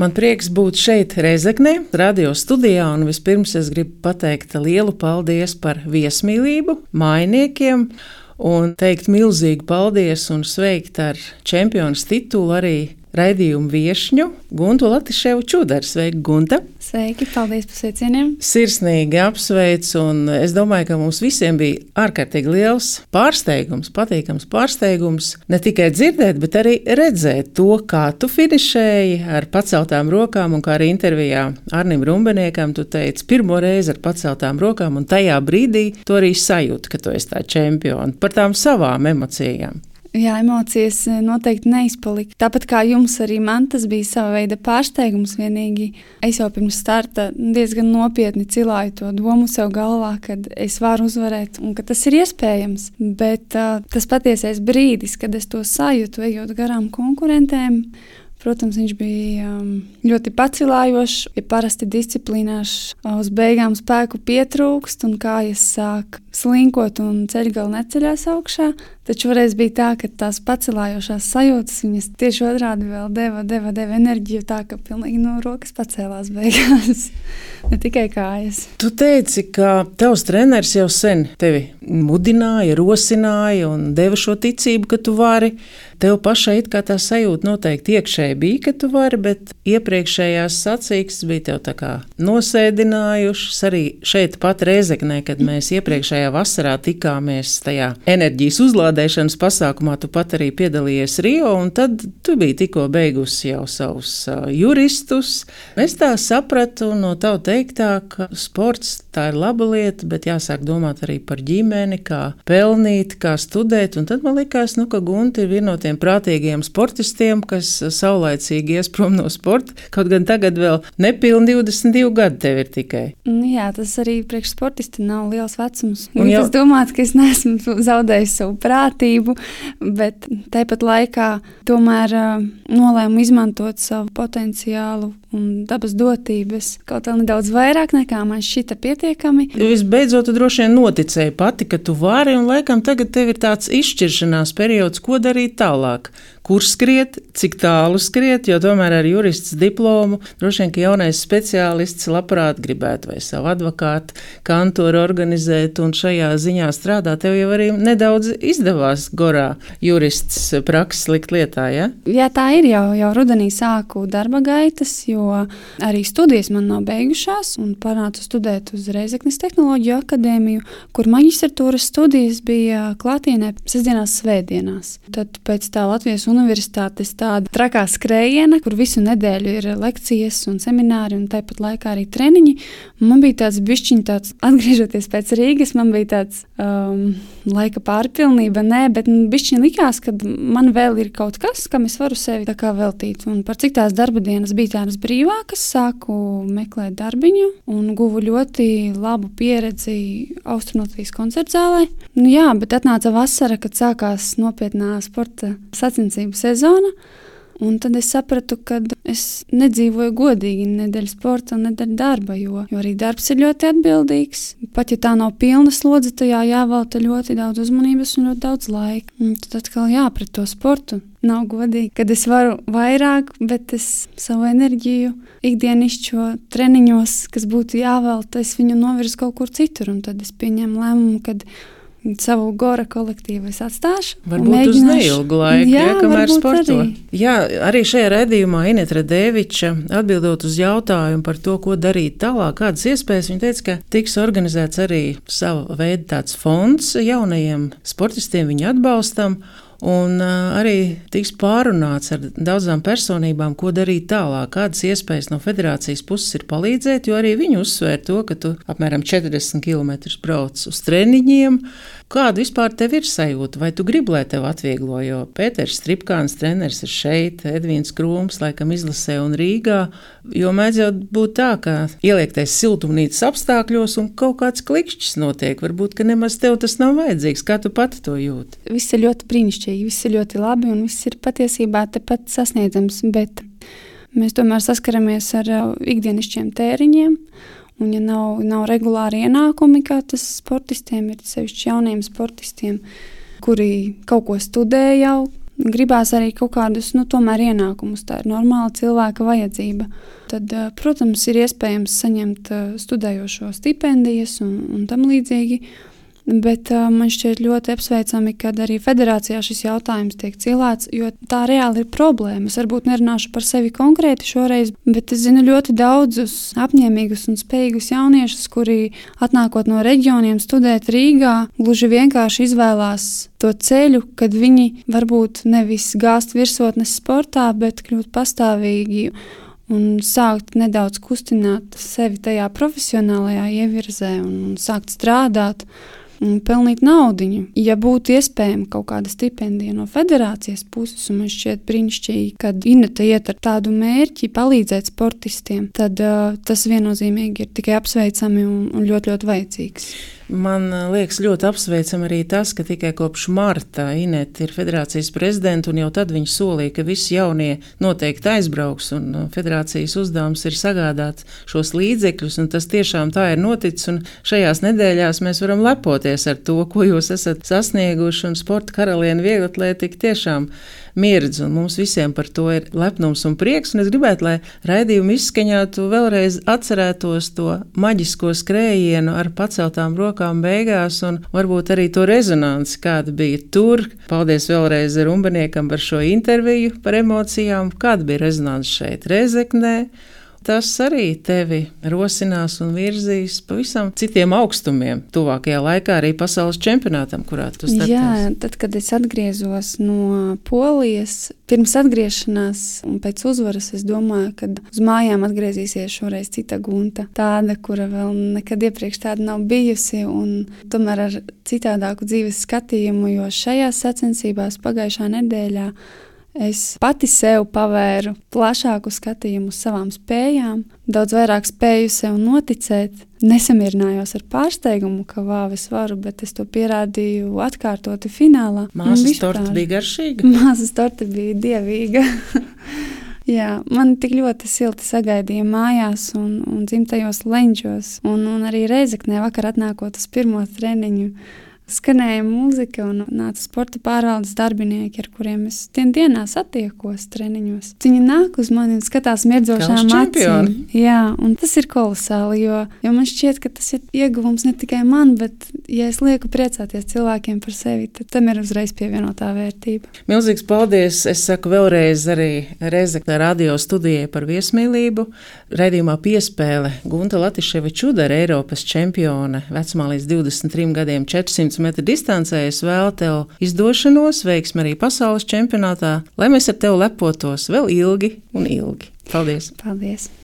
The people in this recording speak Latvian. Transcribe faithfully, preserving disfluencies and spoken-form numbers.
Man prieks būt šeit Rēzeknē, radio studijā, un vispirms es gribu pateikt lielu paldies par viesmīlību, mājiniekiem, un teikt milzīgu paldies un sveikt ar čempionas titulu arī raidījumu viešņu Guntu Latiševu Čudaru. Sveiki, Gunta! Sveiki, paldies par sveicieniem! Sirsnīgi apsveicu, un es domāju, ka mums visiem bija ārkārtīgi liels pārsteigums, patīkams pārsteigums, ne tikai dzirdēt, bet arī redzēt to, kā tu finišēji ar paceltām rokām, un kā arī intervijā Arnim Rumbeniekam tu teici pirmo reizi ar paceltām rokām, un tajā brīdī tu arī sajūti, ka tu esi tā čempiona par tām savām emocijām. Jā, emocijas noteikti neizpalika. Tāpat kā jums, arī man tas bija sava veida pārsteigums. Vienīgi es jau pirms starta diezgan nopietni cilāju to domu sev galvā, ka es varu uzvarēt un ka tas ir iespējams. Bet uh, tas patiesais brīdis, kad es to sajūtu, ejot garām konkurentēm, protams, viņš bija um, ļoti pacilājošs. Ja parasti disciplīnās uz beigām spēku pietrūkst un kājas sāk slinkot un ceļgala neceļās augšā, taču reiz bija tā, ka tās pacilājošās sajūtas viņas tieši otrādi vēl deva, deva, deva enerģiju tā, ka pilnīgi no rokas pacēlās beigās, ne tikai kājas. Tu teici, ka tavs treneris jau sen tevi mudināja, rosināja un deva šo ticību, ka tu vari. Tev pašai it kā tā sajūta noteikti iekšēji bija, ka tu vari, bet iepriekšējās sacīkstes bija tev tā kā nosēdinājušas. Arī šeit pat Rēzeknē, kad mēs iepriekšējā vasarā tikāmies tajā enerģijas uzlādēšanas pasākumā, tu pat arī piedalījies Rio, un tad tu biji tikko beigusi jau savus uh, juristus. Es tā sapratu no tavu teiktā, ka sports tā ir laba lieta, bet jāsāk domāt arī par ģimeni, kā pelnīt, kā studēt, un tad man likās, nu, ka Gunta ir viena no tiem prātīgiem sportistiem, kas saulaicīgi ies prom no sporta, kaut gan tagad vēl nepilni divdesmit divi gadi tev ir tikai. Jā, tas arī priekš sportista nav liels vecums. Un jau... Es domāju, ka es neesmu zaudējis savu prātību, bet tāpat laikā tomēr uh, nolēmu izmantot savu potenciālu un dabas dotības kaut vēl nedaudz vairāk nekā man šķita pietiekami. Visbeidzot, tu droši vien noticēji pati, ka tu vari, un laikam tagad tev ir tāds izšķiršanās periods, ko darīt tālāk. Kur skriet, cik tālu skriet, jo tomēr ar jurists diplomu droši vien, ka jaunais speciālists labprāt gribētu vai savu advokātu kantoru organizēt un šajā ziņā strādāt. Tev jau arī nedaudz izdevās gorā jurists prakses likt lietā, ja? Jā, tā ir jau, jau rudenī sāku darba gaitas, jo arī studijas man nav beigušās un pārnācu studēt uz Rēzeknes tehnoloģiju akadēmiju, kur maģistratūras studijas bija klātienē sestdienās, svētdienās. Tad pēc tā Latvijas universitātes tāda trakā skrējiena, kur visu nedēļu ir lekcijas un semināri un tāpat laikā arī treniņi. Man bija tāds bišķiņ tāds, atgriežoties pēc Rīgas, man bija tāds um, laika pārpilnība, nē, bet bišķiņ likās, ka man vēl ir kaut kas, kam es varu sevi tā kā veltīt. Un par cik tās darba dienas bija tādas brīvākas, sāku meklēt darbiņu un guvu ļoti labu pieredzi Austrumlatvijas koncertzālē. Nu jā, bet atnāca vasara, kad sākās nopietnā sporta sacensība sezona, un tad es sapratu, ka es nedzīvoju godīgi nedēļ sporta un nedēļ darba, jo, jo arī darbs ir ļoti atbildīgs. Pat ja tā nav pilna slodze, tajā jāvelta ļoti daudz uzmanības un ļoti daudz laika. Un tad atkal jā, pret to sportu nav godīgi, kad es varu vairāk, bet es savu enerģiju ikdienišķo treniņos, kas būtu jāvelta, es viņu novirzu kaut kur citur, un tad es pieņemu lēmumu, kad savu gora kolektīvu es atstāšu. Varbūt uz neilgu laiku, jā, ja, kamēr sporto. Arī. Jā, arī šajā raidījumā Ineta Radeviča atbildot uz jautājumu par to, ko darīt tālāk, kādas iespējas, viņa teica, ka tiks organizēts arī sava veida tāds fonds jaunajiem sportistiem, viņu atbalstam, un uh, arī tiks pārunāts ar daudzām personībām, ko darīt tālāk, kādas iespējas no federācijas puses ir palīdzēt, jo arī viņi uzsvēr to, ka tu apmēram četrdesmit kilometrus brauc uz treniņiem. Kāda vispār tev ir sajūta? Vai tu gribi, lai tev atvieglo? Jo Pēters Stripkāns treneris ir šeit, Edvīns Krūms laikam izlasē un Rīgā, jo mēdz jau būt tā, ka ieliektais siltumnīcas apstākļos un kaut kāds klikšķis notiek. Varbūt, ka nemaz tev tas nav vajadzīgs. Kā tu pati to jūti? Viss ir ļoti brīnišķīgi, viss ir ļoti labi un viss ir patiesībā tepat sasniedzams, bet mēs tomēr saskaramies ar ikdienišķiem tēriņiem. Un ja nav, nav regulāri ienākumi, kā tas sportistiem ir, sevišķi jauniem sportistiem, kuri kaut ko studē jau, gribās arī kaut kādus, nu, tomēr ienākumus. Tā ir normāla cilvēka vajadzība. Tad, protams, ir iespējams saņemt studējošo stipendijas un, un tam līdzīgi. Bet uh, man šķiet ļoti apsveicami, ka arī federācijā šis jautājums tiek cilāts, jo tā reāli ir problēma. Es varbūt nerunāšu par sevi konkrēti šoreiz, bet es zinu ļoti daudzus apņēmīgus un spējīgus jauniešus, kuri atnākot no reģioniem studēt Rīgā, gluži vienkārši izvēlās to ceļu, kad viņi varbūt nevis gāzt virsotnes sportā, bet kļūt pastāvīgi un sākt nedaudz kustināt sevi tajā profesionālajā ievirzē un, un sākt strādāt un pelnīt naudiņu. Ja būtu iespējama kaut kāda stipendija no federācijas puses, un man šķiet brīnišķīgi, kad Ineta iet ar tādu mērķi palīdzēt sportistiem, tad uh, tas viennozīmīgi ir tikai apsveicami un, un ļoti, ļoti vajadzīgs. Man liekas ļoti apsveicam arī tas, ka tikai kopš marta Ineta ir federācijas prezidenta, un jau tad viņš solīja, ka visi jaunie noteikti aizbrauks, un federācijas uzdevums ir sagādāt šos līdzekļus, un tas tiešām tā ir noticis, un šajās nedēļās mēs varam lepoties ar to, ko jūs esat sasnieguši, un sporta karaliene vieglatlētika tiešām mirdz, un mums visiem par to ir lepnums un prieks, un es gribētu, lai raidījumu izskaņātu vēlreiz atcerētos to maģisko skrējienu ar paceltām rokām beigās, un varbūt arī to rezonanci, kāda bija tur. Paldies vēlreiz Rumbeniekam par šo interviju, par emocijām, kāda bija rezonanci šeit Rēzeknē. Tas arī tevi rosinās un virzīs pavisam citiem augstumiem. Tuvākajā laikā arī pasaules čempionātam, kurā tu startēsi. Jā, tad, kad es atgriezos no Polijas, pirms atgriešanās un pēc uzvaras, es domāju, ka uz mājām atgriezīsies šoreiz cita Gunta. Tāda, kura vēl nekad iepriekš tāda nav bijusi, un tomēr ar citādāku dzīves skatījumu, jo šajās sacensībās pagājušā nedēļā es pati sev pavēru plašāku skatījumu uz savām spējām, daudz vairāk spēju sev noticēt. Nesamierinājos ar pārsteigumu, ka vāv es varu, bet es to pierādīju atkārtoti finālā. Māsas torte bija garšīga? Māsas torte bija dievīga. Jā, man tik ļoti silti sagaidīja mājās un, un dzimtajos leņķos, un, un arī Rēzeknē vakar atnākot uz pirmo treniņu. Skanēja mūzika un nāca sporta pārvaldes darbinieki, ar kuriem es dien dienā satiekos treniņos. Viņi nāk uz mani un skatās mirdzošām acīm. Jā, un tas ir kolosāli, jo, jo man šķiet, ka tas ir ieguvums ne tikai man, bet, ja es lieku priecāties cilvēkiem par sevi, tad tam ir uzreiz pievienotā vērtība. Milzīgs paldies! Es saku vēlreiz arī Rēzeknē radio studijai par viesmīlību. Raidījumā piespēle Gunta Latiševa Čudara, Eiropas čempione, vecumā līdz divdesmit trim gadiem, četrsimt metru distancē. Es vēlu tev izdošanos, veiksmi arī pasaules čempionātā, lai mēs ar tevi lepotos vēl ilgi un ilgi. Paldies! Paldies!